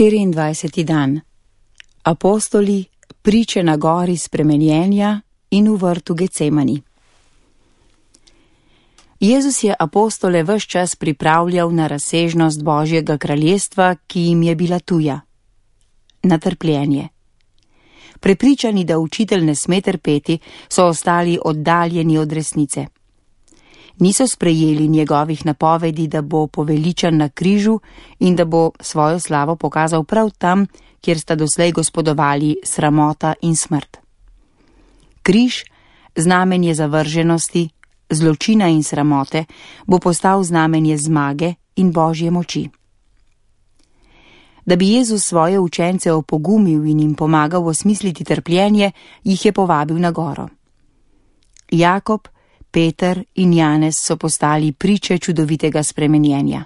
24. dan. Apostoli, priče na gori spremenjenja in v vrtu Gecemani. Jezus je apostole ves čas pripravljal na razsežnost Božjega kraljestva, ki jim je bila tuja. Na trpljenje. Prepričani, da učitelj ne sme trpeti, so ostali oddaljeni od resnice. Niso sprejeli njegovih napovedi, da bo poveličan na križu in da bo svojo slavo pokazal prav tam, kjer sta doslej gospodovali sramota in smrt. Križ, znamenje zavrženosti, zločina in sramote, bo postal znamenje zmage in Božje moči. Da bi Jezus svoje učence opogumil in jim pomagal osmisliti trpljenje, jih je povabil na goro. Jakob, Peter in Janez so postali priče čudovitega spremenjenja.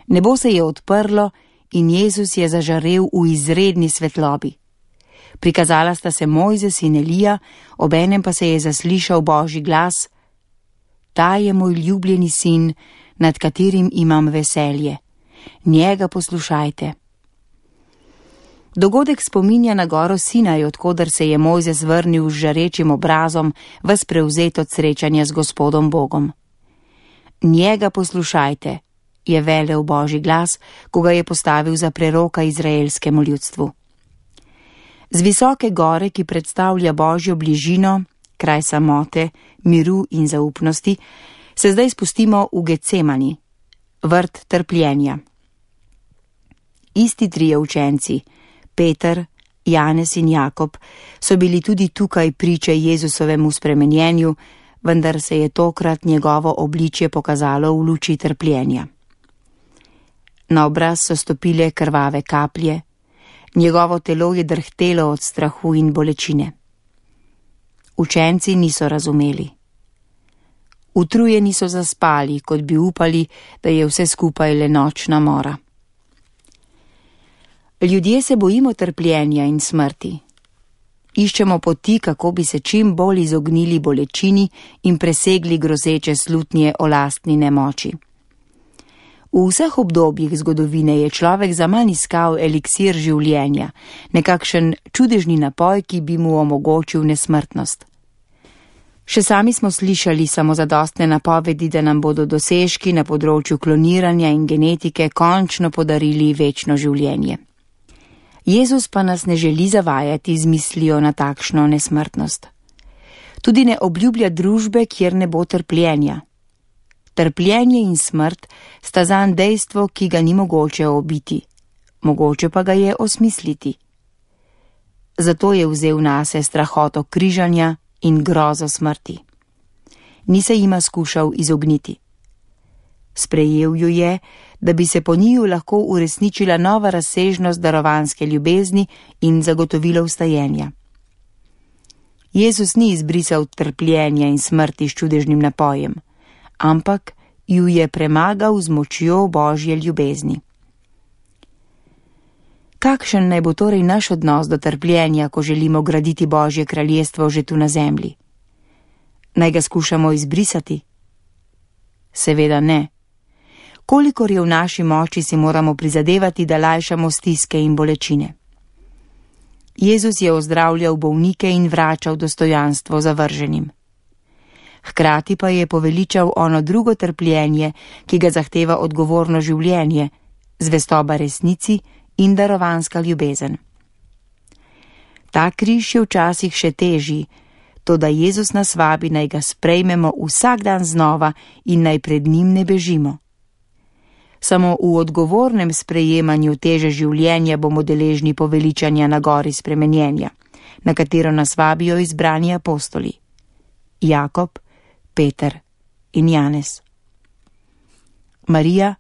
Nebo se je odprlo in Jezus je zažarel v izredni svetlobi. Prikazala sta se Mojzes in Elija, obenem pa se je zaslišal Božji glas: Ta je moj ljubljeni sin, nad katerim imam veselje. Njega poslušajte. Dogodek spominja na goro Sinaj, odkoder se je Mojzes vrnil z žarečim obrazom, ves prevzet od srečanja z Gospodom Bogom. Njega poslušajte, je velel Božji glas, ko ga je postavil za preroka izraelskemu ljudstvu. Z visoke gore, ki predstavlja Božjo bližino, kraj samote, miru in zaupnosti, se zdaj spustimo v Gecemani, vrt trpljenja. Isti trije učenci, Peter, Janez in Jakob, so bili tudi tukaj priče Jezusovemu spremenjenju, vendar se je tokrat njegovo obličje pokazalo v luči trpljenja. Na obraz so stopile krvave kaplje, njegovo telo je drhtelo od strahu in bolečine. Učenci niso razumeli. Utrujeni so zaspali, kot bi upali, da je vse skupaj le nočna mora. Ljudje se bojimo trpljenja in smrti. Iščemo poti, kako bi se čim bolj izognili bolečini in presegli grozeče slutnje o lastni nemoči. V vseh obdobjih zgodovine je človek zaman iskal eliksir življenja, nekakšen čudežni napoj, ki bi mu omogočil nesmrtnost. Še sami smo slišali samozadostne napovedi, da nam bodo dosežki na področju kloniranja in genetike končno podarili večno življenje. Jezus pa nas ne želi zavajati z mislijo na takšno nesmrtnost. Tudi ne obljublja družbe, kjer ne bo trpljenja. Trpljenje in smrt sta zanj dejstvo, ki ga ni mogoče obiti, mogoče pa ga je osmisliti. Zato je vzel nase strahoto križanja in grozo smrti. Ni se jima skušal izogniti. Sprejel ju je, da bi se po njiju lahko uresničila nova razsežnost darovanske ljubezni in zagotovilo vstajenja. Jezus ni izbrisal trpljenja in smrti s čudežnim napojem, ampak ju je premagal z močjo Božje ljubezni. Kakšen naj bo torej naš odnos do trpljenja, ko želimo graditi Božje kraljestvo že tu na zemlji? Naj ga skušamo izbrisati? Seveda ne. Kolikor je v naši moči, si moramo prizadevati, da lajšamo stiske in bolečine. Jezus je ozdravljal bolnike in vračal dostojanstvo zavrženim. Hkrati pa je poveličal ono drugo trpljenje, ki ga zahteva odgovorno življenje, zvestoba resnici in darovanska ljubezen. Ta križ je včasih še težji, toda Jezus nas vabi, naj ga sprejmemo vsak dan znova in naj pred njim ne bežimo. Samo v odgovornem sprejemanju teže življenja bomo deležni poveličanja na gori spremenjenja, na katero nas vabijo izbrani apostoli: Jakob, Peter in Janez. Marija,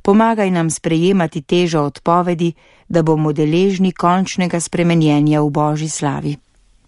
pomagaj nam sprejemati težo odpovedi, da bomo deležni končnega spremenjenja v Božji slavi.